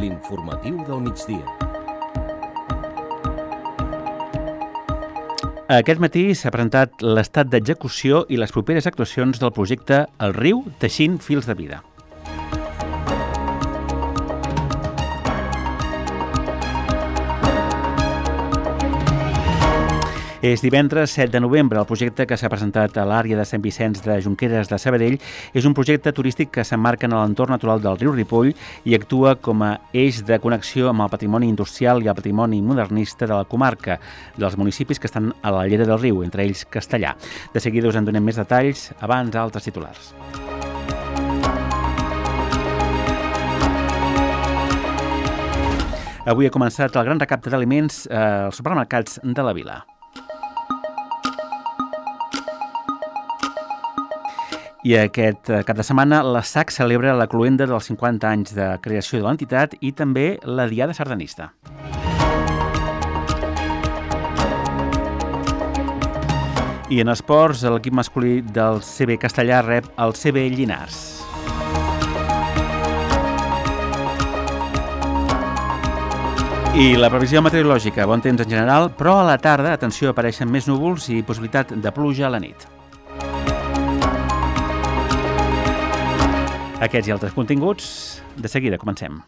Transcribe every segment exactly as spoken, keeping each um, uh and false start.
L'informatiu del migdia. Aquest matí s'ha presentat l'estat d'execució i les properes actuacions del projecte El riu teixint fils de vida. És divendres set de novembre. El projecte que s'ha presentat a l'àrea de Sant Vicenç de Junqueres de Sabadell és un projecte turístic que s'emmarca en l'entorn natural del riu Ripoll i actua com a eix de connexió amb el patrimoni industrial i el patrimoni modernista de la comarca, dels municipis que estan a la llera del riu, entre ells Castellar. De seguida us en donem més detalls, abans altres titulars. Avui ha començat el gran recapte d'aliments als supermercats de la vila. I aquest cap de setmana la S A C celebra la cloenda dels cinquanta anys de creació de l'entitat i també la Diada Sardanista. I en esports, l'equip masculí del C B Castellar rep el C B Llinars. I la previsió meteorològica, bon temps en general, però a la tarda, atenció, apareixen més núvols i possibilitat de pluja a la nit. Aquests i altres continguts, de seguida comencem.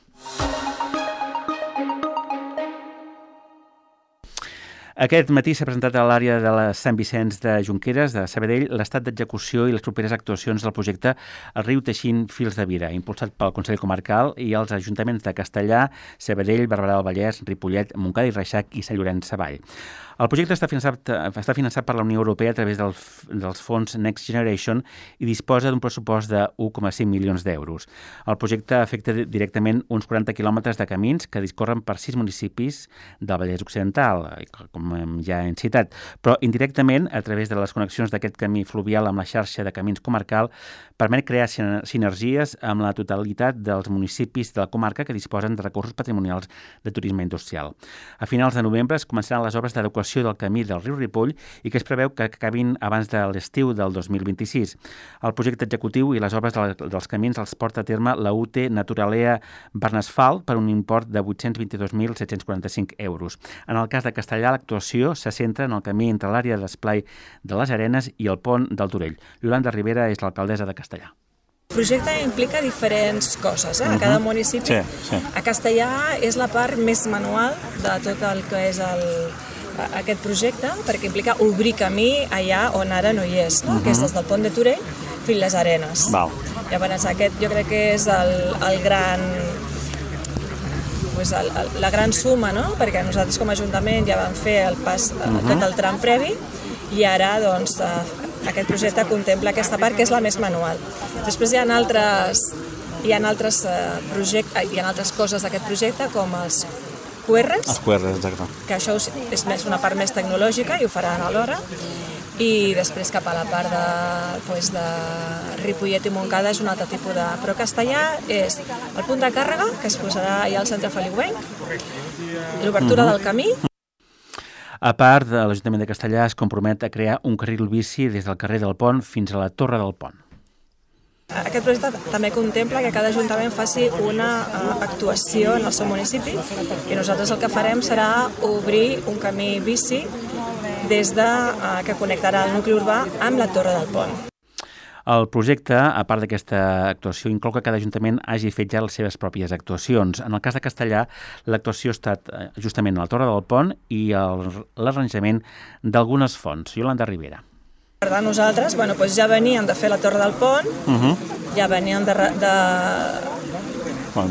Aquest matí s'ha presentat a l'àrea de la Sant Vicenç de Junqueres de Sabadell l'estat d'execució i les properes actuacions del projecte El riu teixint fils de vida, impulsat pel Consell Comarcal i els ajuntaments de Castellar, Sabadell, Barberà del Vallès, Ripollet, Montcada i Reixac i Sant Llorenç Savall. El projecte està finançat, està finançat per la Unió Europea a través del, dels fons Next Generation i disposa d'un pressupost de un coma cinc milions d'euros. El projecte afecta directament uns quaranta quilòmetres de camins que discorren per sis municipis del Vallès Occidental, com ja hem citat, però indirectament, a través de les connexions d'aquest camí fluvial amb la xarxa de camins comarcal, permet crear sinergies amb la totalitat dels municipis de la comarca que disposen de recursos patrimonials de turisme industrial. A finals de novembre es començaran les obres d'adequació del camí del riu Ripoll i que es preveu que acabin abans de l'estiu del dos mil vint-i-sis. El projecte executiu i les obres dels camins els porta a terme la U T Naturalea Barnasfalt per un import de vuit-cents vint-i-dos mil set-cents quaranta-cinc euros. En el cas de Castellar, l'actuació se centra en el camí entre l'àrea d'esplai de les Arenes i el pont del Torell. Iolanda Rivera és l'alcaldessa de Castellar. El projecte implica diferents coses, eh? A cada municipi. Sí, sí. A Castellar és la part més manual de tot el que és el, aquest projecte, perquè implica obrir camí allà on ara no hi és, no? Uh-huh. Que és des del pont de Torell fins les Arenes. Val. Llavors aquest jo crec que és el, el gran, pues el, el, la gran suma, no? Perquè nosaltres com a Ajuntament ja vam fer el pas, uh-huh. tot el tram previ i ara doncs aquest projecte contempla aquesta part que és la més manual. Després hi ha altres, hi ha altres projectes, hi ha altres coses d'aquest projecte com els Q Rs, els Q Rs, exacte. Que això és més una part més tecnològica i ho faran alhora. I després cap a la part de, pues, de Ripollet i Montcada és un altre tipus de... Però Castellar és el punt de càrrega, que es posarà allà al centre feliuenc, l'obertura uh-huh. del camí. A part, l'Ajuntament de Castellar es compromet a crear un carril bici des del carrer del Pont fins a la Torre del Pont. Aquest projecte també contempla que cada ajuntament faci una uh, actuació en el seu municipi i nosaltres el que farem serà obrir un camí bici des de, uh, que connectarà el nucli urbà amb la Torre del Pont. El projecte, a part d'aquesta actuació, inclou que cada ajuntament hagi fet ja les seves pròpies actuacions. En el cas de Castellar, l'actuació ha estat justament a la Torre del Pont i l'arranjament d'algunes fonts. Iolanda Rivera. Per tant, nosaltres bueno, doncs ja veníem de fer la Torre del Pont, uh-huh. ja veníem de, de,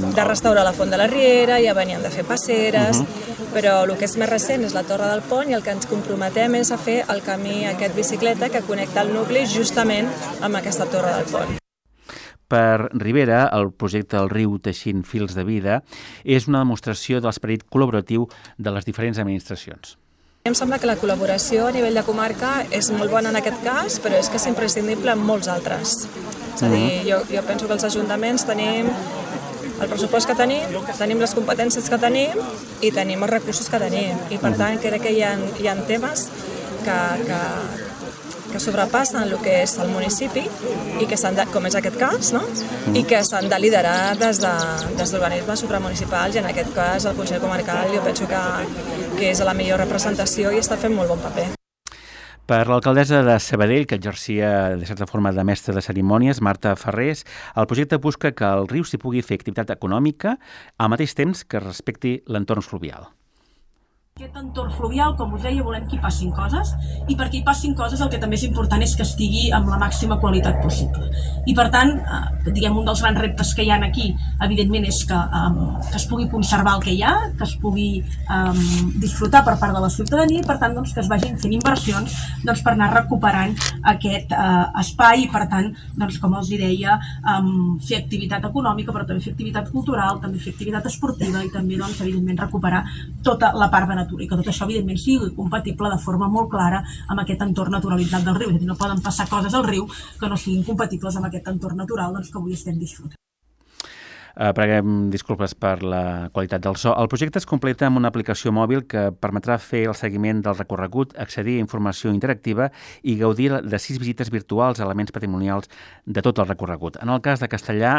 de restaurar la Font de la Riera, ja veníem de fer passeres, uh-huh. però el que és més recent és la Torre del Pont i el que ens comprometem és a fer el camí aquest bicicleta que connecta el nucli justament amb aquesta Torre del Pont. Per Rivera, el projecte El riu teixint fils de vida és una demostració de l'esperit col·laboratiu de les diferents administracions. Em sembla que la col·laboració a nivell de comarca és molt bona en aquest cas, però és que és imprescindible en molts altres. És a dir, jo, jo penso que els ajuntaments tenim el pressupost que tenim, tenim les competències que tenim i tenim els recursos que tenim. I per tant crec que hi ha, hi ha temes que, que, que sobrepassen el que és el municipi i que s'han de, com és aquest cas, no? I que s'han de liderar des de, des d'organismes supramunicipals, i en aquest cas el Consell Comarcal jo penso que, que és la millor representació i està fent molt bon paper. Per l'alcaldessa de Sabadell, que exercia de certa forma de mestra de cerimònies, Marta Ferrés, el projecte busca que el riu s'hi pugui fer activitat econòmica al mateix temps que respecti l'entorn fluvial. Aquest entorn fluvial, com us deia, volem que hi passin coses, i perquè hi passin coses el que també és important és que estigui amb la màxima qualitat possible. I per tant, eh, diguem, un dels grans reptes que hi ha aquí, evidentment, és que, eh, que es pugui conservar el que hi ha, que es pugui eh, disfrutar per part de la ciutadania, i per tant doncs, que es vagin fent inversions doncs, per anar recuperant aquest eh, espai, i per tant, doncs, com els deia, eh, fer activitat econòmica, però també fer activitat cultural, també fer activitat esportiva, i també, doncs, evidentment, recuperar tota la part de natura, i que tot això evidentment sigui compatible de forma molt clara amb aquest entorn naturalitzat del riu. És a dir, no poden passar coses al riu que no siguin compatibles amb aquest entorn natural doncs, que avui estem disfrutant. Uh, preguem disculpes per la qualitat del so. El projecte es completa amb una aplicació mòbil que permetrà fer el seguiment del recorregut, accedir a informació interactiva i gaudir de sis visites virtuals a elements patrimonials de tot el recorregut. En el cas de Castellà,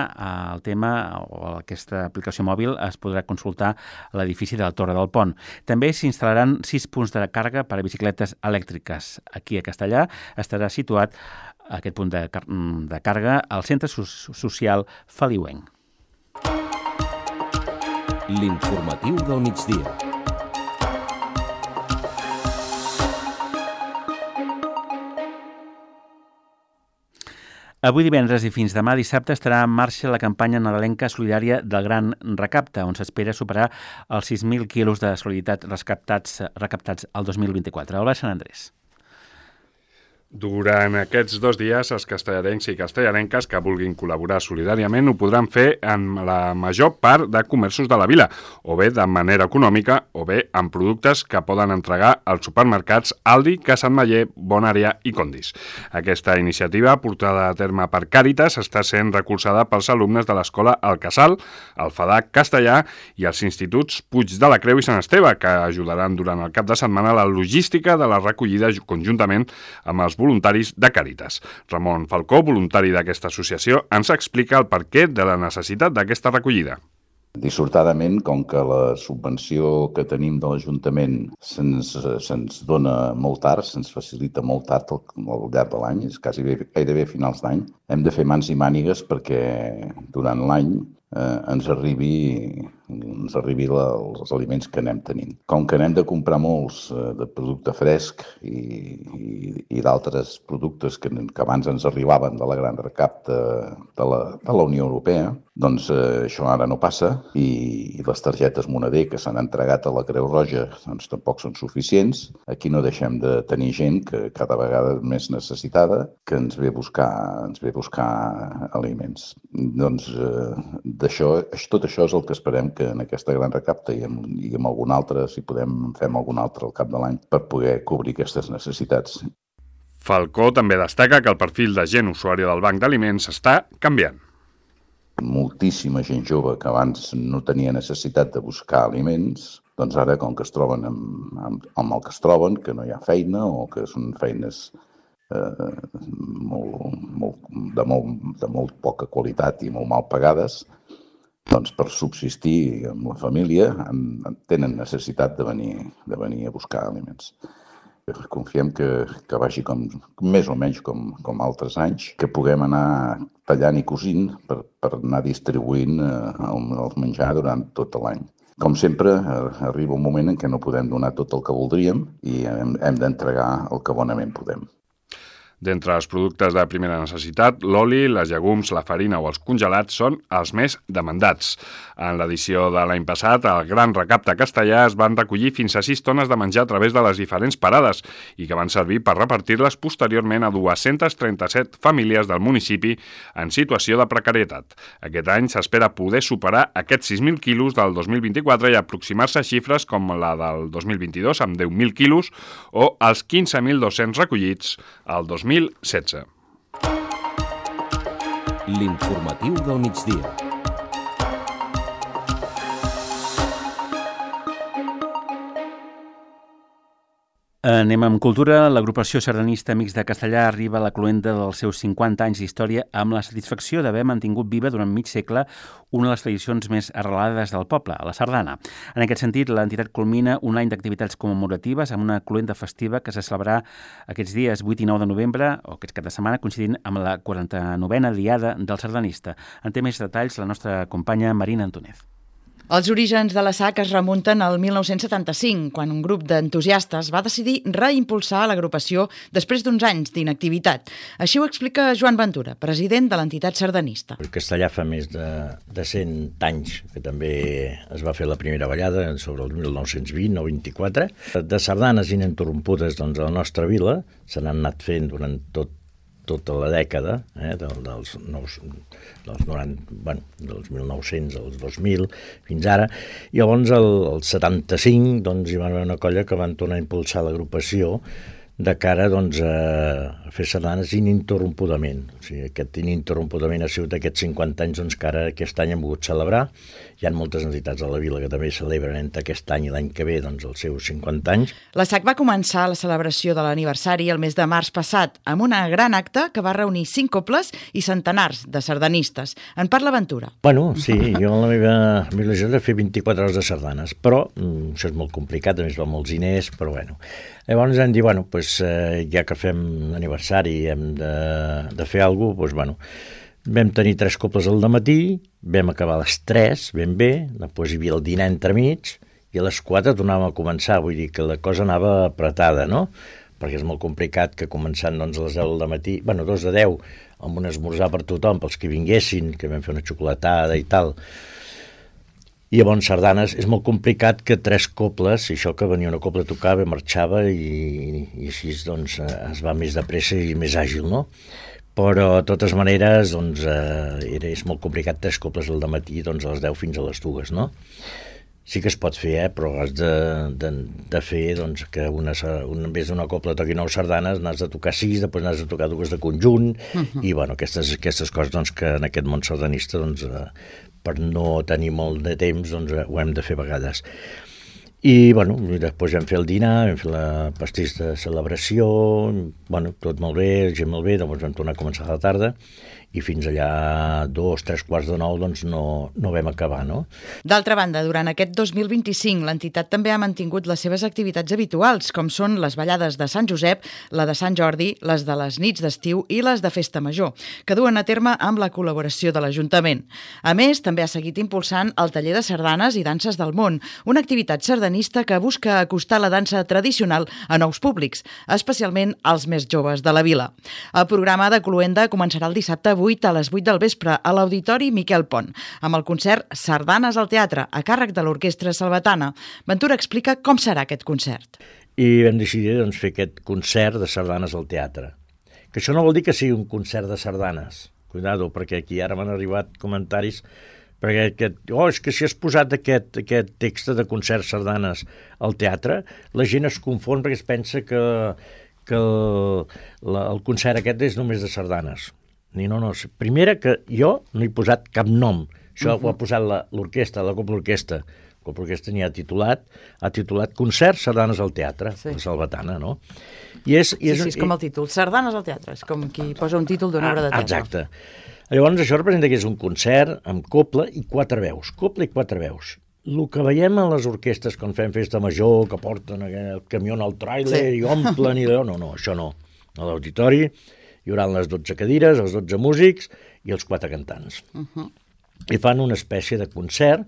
el tema o aquesta aplicació mòbil es podrà consultar a l'edifici de la Torre del Pont. També s'instal·laran sis punts de càrrega per a bicicletes elèctriques. Aquí a Castellà estarà situat aquest punt de, de càrrega al Centre Social Feliuenc. L'informatiu del migdia. Avui divendres i fins demà dissabte estarà en marxa la campanya nadalenca solidària del Gran Recapte, on s'espera superar els sis mil quilos de solidaritat recaptats, recaptats el dos mil vint-i-quatre. Albert Sant Andrés. Durant aquests dos dies, els castellarencs i castellarenques que vulguin col·laborar solidàriament ho podran fer en la major part de comerços de la vila, o bé de manera econòmica, o bé amb productes que poden entregar als supermercats Aldi, Casa Ametller, Bonària i Condis. Aquesta iniciativa, portada a terme per Càritas, està sent recolzada pels alumnes de l'escola El Casal, el FADAC Castellà i els instituts Puig de la Creu i Sant Esteve, que ajudaran durant el cap de setmana la logística de la recollida conjuntament amb els voluntaris de Càritas. Ramon Falcó, voluntari d'aquesta associació, ens explica el perquè de la necessitat d'aquesta recollida. Dissortadament, com que la subvenció que tenim de l'Ajuntament se'ns se'ns dona molt tard, se'ns facilita molt tard al, al llarg de l'any, és quasi bé, gairebé a finals d'any, hem de fer mans i mànigues perquè durant l'any eh, ens arribi, ens arribi la, els aliments que anem tenint. Com que anem de comprar molts eh, de producte fresc i, i, i d'altres productes que, que abans ens arribaven de la gran recapte de la, de la Unió Europea, doncs eh, això ara no passa i, i les targetes moneder que s'han entregat a la Creu Roja doncs, tampoc són suficients. Aquí no deixem de tenir gent que cada vegada més necessitada que ens ve a buscar, ens ve a buscar aliments. Doncs eh, d'això, tot això és el que esperem que en aquesta gran recapta i amb, i amb algun altre, si podem, fem algun altre al cap de l'any per poder cobrir aquestes necessitats. Falcó també destaca que el perfil de gent usuària del banc d'aliments està canviant. Moltíssima gent jove que abans no tenia necessitat de buscar aliments, doncs ara, com que es troben amb, amb, amb el que es troben, que no hi ha feina o que són feines eh, molt, molt, de, molt, de molt poca qualitat i molt mal pagades, doncs per subsistir amb la família tenen necessitat de venir, de venir a buscar aliments. Confiem que, que vagi com, més o menys com, com altres anys, que puguem anar tallant i cosint per, per anar distribuint eh, el, el menjar durant tot l'any. Com sempre, eh, arriba un moment en què no podem donar tot el que voldríem i hem, hem d'entregar el que bonament podem. D'entre els productes de primera necessitat, l'oli, les llegums, la farina o els congelats són els més demandats. En l'edició de l'any passat, al Gran Recapte Castellà es van recollir fins a sis tones de menjar a través de les diferents parades i que van servir per repartir-les posteriorment a dues-centes trenta-set famílies del municipi en situació de precarietat. Aquest any s'espera poder superar aquests sis mil quilos del dos mil vint-i-quatre i aproximar-se a xifres com la del dos mil vint-i-dos amb deu mil quilos o els quinze mil dos-cents recollits al dos mil setze. L'informatiu del migdia. Anem amb cultura. L'agrupació sardanista Amics de Castellar arriba a la cloenda dels seus cinquanta anys d'història amb la satisfacció d'haver mantingut viva durant mig segle una de les tradicions més arrelades del poble, la sardana. En aquest sentit, l'entitat culmina un any d'activitats commemoratives amb una cloenda festiva que se celebrarà aquests dies vuit i nou de novembre, o aquest cap de setmana, coincidint amb la quaranta-novena diada del sardanista. En té més detalls la nostra companya Marina Antúnez. Els orígens de la S A C es remunten al mil nou-cents setanta-cinc, quan un grup d'entusiastes va decidir reimpulsar l'agrupació després d'uns anys d'inactivitat. Així ho explica Joan Ventura, president de l'entitat sardanista. El Castellar fa més de, de cent anys, que també es va fer la primera ballada sobre el mil nou-cents vint o vint-i-quatre. De sardanes ininterrompudes doncs, a la nostra vila se n'han anat fent durant tot tota la dècada, eh, del, dels, nous, dels, noranta, bueno, dels mil nou-cents als dos mil, fins ara, i llavors el, el setanta-cinc doncs, hi va haver una colla que van tornar a impulsar l'agrupació de cara doncs, a fer sardanes ininterrompudament. O sigui, aquest ininterrompudament ha sigut aquests cinquanta anys doncs, que ara aquest any hem pogut celebrar. Hi ha moltes entitats a la vila que també celebren entre aquest any i l'any que ve doncs, els seus cinquanta anys. La S A C va començar la celebració de l'aniversari el mes de març passat amb una gran acte que va reunir cinc cobles i centenars de sardanistes. En parla Ventura. Bueno, sí, jo la meva il·lusió és fer vint-i-quatre hores de sardanes, però mm, això és molt complicat, a més va molts diners, però bueno. Llavors hem dit, bueno, pues, eh, ja que fem aniversari i hem de, de fer alguna cosa, pues, bueno, vam tenir tres cobles al dematí, vam acabar a les tres, ben bé, després hi havia el dinar entremig, i a les quatre tornàvem a començar, vull dir que la cosa anava apretada, no? Perquè és molt complicat que començant doncs, a les deu del matí, bueno, dos de deu, amb un esmorzar per tothom, pels que vinguessin, que vam fer una xocolatada i tal. I llavors sardanes és molt complicat que tres cobles, i això que venia una copla a tocar, marxava i, i així doncs, es va més de pressa i més àgil, no? Però, de totes maneres, doncs, eh, era, és molt complicat tres cobles al dematí, doncs, a les deu fins a les dues, no? Sí que es pot fer, eh, però has de, de, de fer doncs, que una, una, en vez d'una copla toqui nou sardanes, n'has de tocar sis, després n'has de tocar dues de conjunt, uh-huh. i bueno, aquestes, aquestes coses doncs, que en aquest món sardanista, doncs, eh, per no tenir molt de temps, doncs, ho hem de fer a vegades. I, bueno, després vam fer el dinar, vam fer la pastís de celebració, bueno, tot molt bé, gent molt bé, doncs vam tornar a començar a la tarda, i fins allà dos, tres quarts de nou, doncs no, no vam acabar, no? D'altra banda, durant aquest dos mil vint-i-cinc, l'entitat també ha mantingut les seves activitats habituals, com són les ballades de Sant Josep, la de Sant Jordi, les de les nits d'estiu i les de Festa Major, que duen a terme amb la col·laboració de l'Ajuntament. A més, també ha seguit impulsant el taller de sardanes i danses del món, una activitat sardanista que busca acostar la dansa tradicional a nous públics, especialment als més joves de la vila. El programa de cloenda començarà el dissabte vuit a les vuit del vespre a l'Auditori Miquel Pont, amb el concert Sardanes al Teatre, a càrrec de l'Orquestra Salvatana. Ventura explica com serà aquest concert. I vam decidir doncs, fer aquest concert de sardanes al teatre. Que això no vol dir que sigui un concert de sardanes. Cuidado, perquè aquí ara m'han arribat comentaris perquè aquest, oh, és que si has posat aquest, aquest text de concert sardanes al teatre, la gent es confon perquè es pensa que, que el, la, el concert aquest és només de sardanes. Ni no, no. Primera, que jo no he posat cap nom. Això uh-huh. ho ha posat l'orquestra, la, la Copla Orquestra. La Copla Orquestra n'hi ha titulat, ha titulat Concert Sardanes al Teatre, sí. La Salvatana, no? I és, i és, sí, sí, és com el títol, Sardanes al Teatre, és com qui posa un títol d'una obra de teatre. Exacte. Llavors això representa que és un concert amb copla i quatre veus, copla i quatre veus. El que veiem a les orquestres quan fem festa major, que porten el camió al tràiler sí. i omplen i allò, no, no, això no. A l'auditori hi haurà les dotze cadires, els dotze músics i els quatre cantants. Uh-huh. I fan una espècie de concert,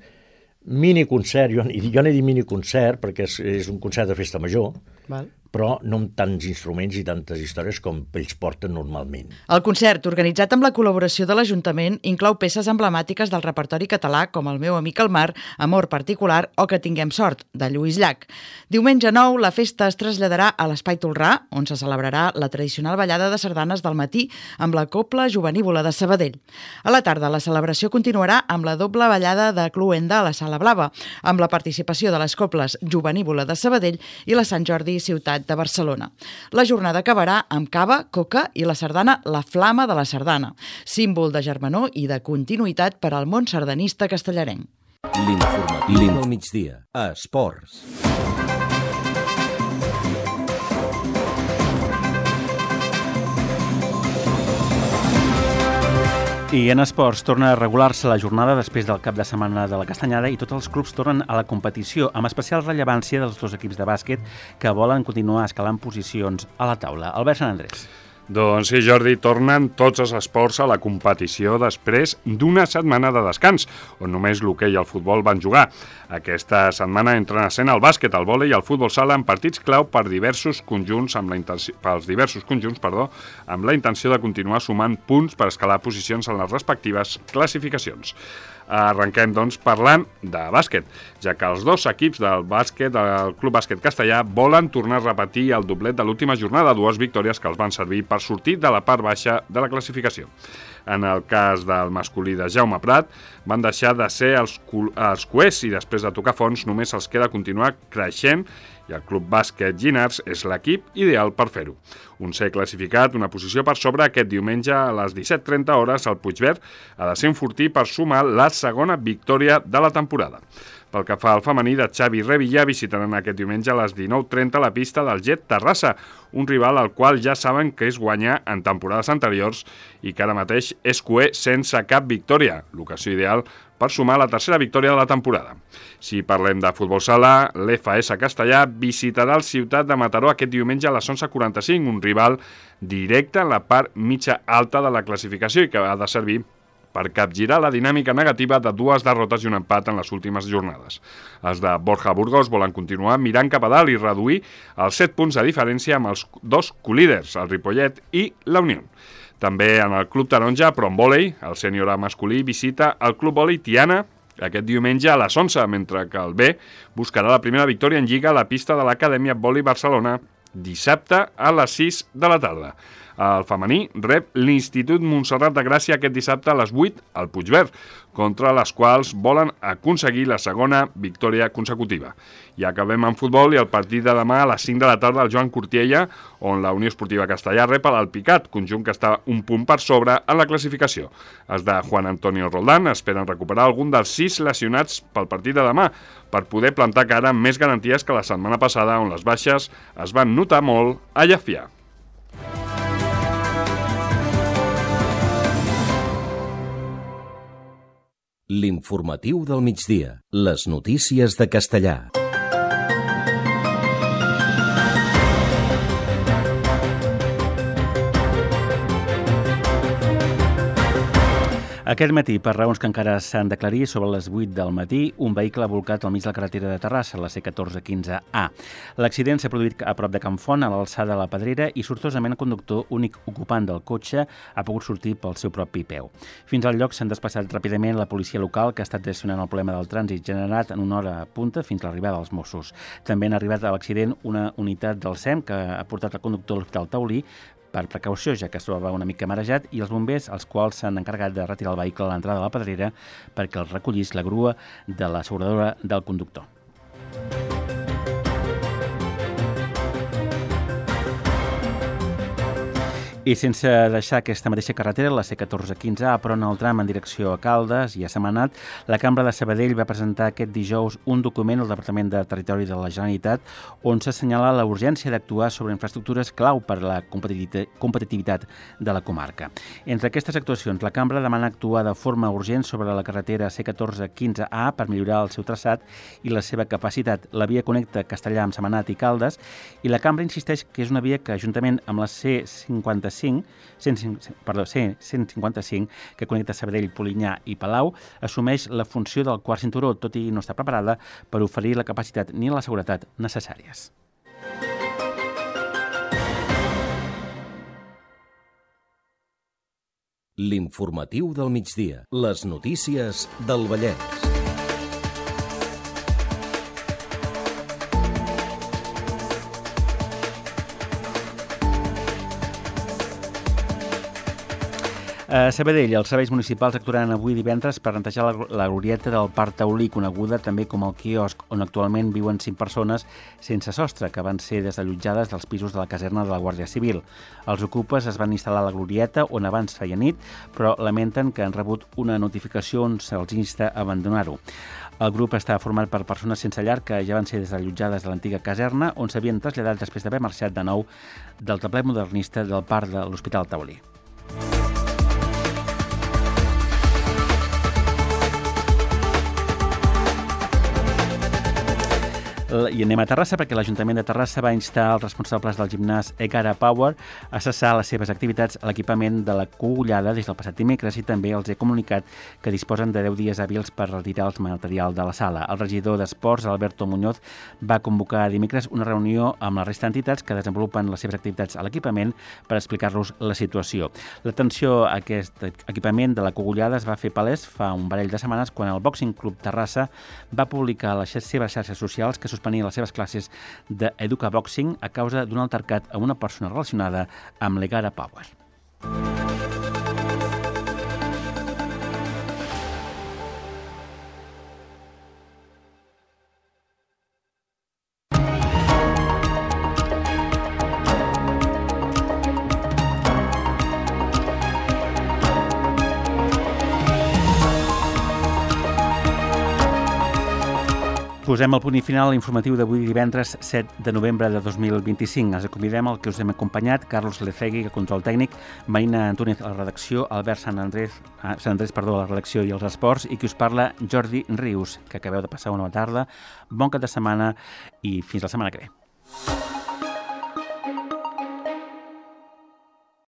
miniconcert, jo, jo n'he dit miniconcert perquè és, és un concert de festa major, val. Però no amb tants instruments i tantes històries com ells porten normalment. El concert, organitzat amb la col·laboració de l'Ajuntament, inclou peces emblemàtiques del repertori català com El meu amic el mar, Amor particular o Que tinguem sort, de Lluís Llach. Diumenge nou, la festa es traslladarà a l'Espai Tolrà, on se celebrarà la tradicional ballada de sardanes del matí amb la Copla Jovenívola de Sabadell. A la tarda, la celebració continuarà amb la doble ballada de cloenda a la Sala Blava, amb la participació de les Coples Jovenívola de Sabadell i la Sant Jordi Ciutat de Barcelona. La jornada acabarà amb cava, coca i la sardana La Flama de la Sardana, símbol de germanor i de continuïtat per al món sardanista castellarenc. L'informatiu del migdia, a Esports. I en esports torna a regular-se la jornada després del cap de setmana de la Castanyada i tots els clubs tornen a la competició, amb especial rellevància dels dos equips de bàsquet que volen continuar escalant posicions a la taula. Albert Sant Andrés. Doncs sí, Jordi, tornen tots els esports a la competició després d'una setmana de descans, on només l'hoquei i el futbol van jugar. Aquesta setmana entren a escena el bàsquet, el vòlei i el futbol sala en partits clau per diversos conjunts amb la intenció, pels diversos conjunts, perdó, amb la intenció de continuar sumant punts per escalar posicions en les respectives classificacions. Arrenquem, doncs, parlant de bàsquet, ja que els dos equips del bàsquet, del Club Bàsquet Castellà, volen tornar a repetir el doblet de l'última jornada, dues victòries que els van servir per sortir de la part baixa de la classificació. En el cas del masculí de Jaume Prat, van deixar de ser els, els coers i després de tocar fons només els queda continuar creixent i el Club Bàsquet Llinars és l'equip ideal per fer-ho. Un ser classificat, una posició per sobre, aquest diumenge a les disset trenta hores el Puigverd ha de ser un fortí per sumar la segona victòria de la temporada. Pel que fa al femení de Xavi Revilla, visitaran aquest diumenge a les dinou trenta la pista del Jet Terrassa, un rival al qual ja saben que és guanyar en temporades anteriors i que ara mateix és coer sense cap victòria, l'ocasió ideal per sumar la tercera victòria de la temporada. Si parlem de futbol sala, l'F S Castellà visitarà el Ciutat de Mataró aquest diumenge a les onze quaranta-cinc, un rival directe en la part mitja alta de la classificació i que ha de servir per capgirar la dinàmica negativa de dues derrotes i un empat en les últimes jornades. Els de Borja Burgos volen continuar mirant cap a dalt i reduir els set punts de diferència amb els dos colíders, el Ripollet i la Unió. També en el Club Taronja, però en vòlei, el sènior masculí visita el Club Vòlei Tiana aquest diumenge a les onze, mentre que el B buscarà la primera victòria en Lliga a la pista de l'Acadèmia Vòlei Barcelona dissabte a les sis de la tarda. El femení rep l'Institut Montserrat de Gràcia aquest dissabte a les vuit al Puigverd, contra les quals volen aconseguir la segona victòria consecutiva. I acabem en futbol i el partit de demà a les cinc de la tarda al Joan Cortiella, on la Unió Esportiva Castellà rep l'Alpicat, conjunt que està un punt per sobre en la classificació. Els de Juan Antonio Roldán esperen recuperar algun dels sis lesionats pel partit de demà, per poder plantar cara amb més garanties que la setmana passada, on les baixes es van notar molt a Llafià. L'informatiu del migdia. Les notícies de Castellà. Aquest matí, per raons que encara s'han d'aclarir, sobre les vuit del matí, un vehicle ha volcat al mig de la carretera de Terrassa, la C catorze quinze A. L'accident s'ha produït a prop de Can Font, a l'alçada de la Pedrera, i sortosament el conductor, únic ocupant del cotxe, ha pogut sortir pel seu propi peu. Fins al lloc s'han desplaçat ràpidament la policia local, que ha estat gestionant el problema del trànsit generat en una hora punta fins a l'arribada dels Mossos. També han arribat a l'accident una unitat del S E M que ha portat el conductor a l'Hospital Taulí per precaució, ja que es trobava una mica marejat, i els bombers, els quals s'han encarregat de retirar el vehicle a l'entrada de la Pedrera perquè el recollís la grua de l'asseguradora del conductor. I sense deixar aquesta mateixa carretera, la C catorze quinze A, però en el tram en direcció a Caldes i a Sentmenat, la Cambra de Sabadell va presentar aquest dijous un document al Departament de Territori de la Generalitat on s'assenyala la urgència d'actuar sobre infraestructures clau per a la competitivitat de la comarca. Entre aquestes actuacions, la Cambra demana actuar de forma urgent sobre la carretera C catorze quinze A per millorar el seu traçat i la seva capacitat. La via connecta Castellà amb Sentmenat i Caldes i la Cambra insisteix que és una via que, juntament amb la C cinquanta-cinc, cent cinquanta-cinc, que connecta Sabadell, Polinyà i Palau, assumeix la funció del quart cinturó, tot i no està preparada per oferir la capacitat ni la seguretat necessàries. L'informatiu del migdia. Les notícies del Vallès. A Sabadell, els serveis municipals actuaran avui divendres per netejar la, la glorieta del Parc Taulí, coneguda també com el quiosc, on actualment viuen cinc persones sense sostre, que van ser desallotjades dels pisos de la caserna de la Guàrdia Civil. Els ocupes es van instal·lar a la glorieta, on abans feia nit, però lamenten que han rebut una notificació on se'ls insta a abandonar-ho. El grup està format per persones sense llar que ja van ser desallotjades de l'antiga caserna, on s'havien traslladat després d'haver marxat de nou del complex modernista del parc de l'Hospital Taulí. I anem a Terrassa perquè l'Ajuntament de Terrassa va instar els responsables del gimnàs Egara Power a cessar les seves activitats a l'equipament de la Cogullada des del passat dimecres i també els he comunicat que disposen de deu dies hàbils per retirar el material de la sala. El regidor d'Esports, Alberto Muñoz, va convocar dimecres una reunió amb la resta d'entitats que desenvolupen les seves activitats a l'equipament per explicar-los la situació. L'atenció a aquest equipament de la Cogullada es va fer palès fa un parell de setmanes quan el Boxing Club Terrassa va publicar a les seves xarxes socials que suspenia les seves classes d'Educa Boxing a causa d'un altercat amb una persona relacionada amb l'Egara Power. Posem el punt i final a l'informatiu d'avui divendres set de novembre de dos mil vint-i-cinc. Ens convidem al que us hem acompanyat, Carlos Lecegui, el control tècnic, Marina Antúnez a la redacció, Albert Sant Andrés, ah, Sant Andrés perdó, a la redacció i els esports, i qui us parla, Jordi Rius, que acabeu de passar una bona tarda, bon cap de setmana i fins la setmana que ve.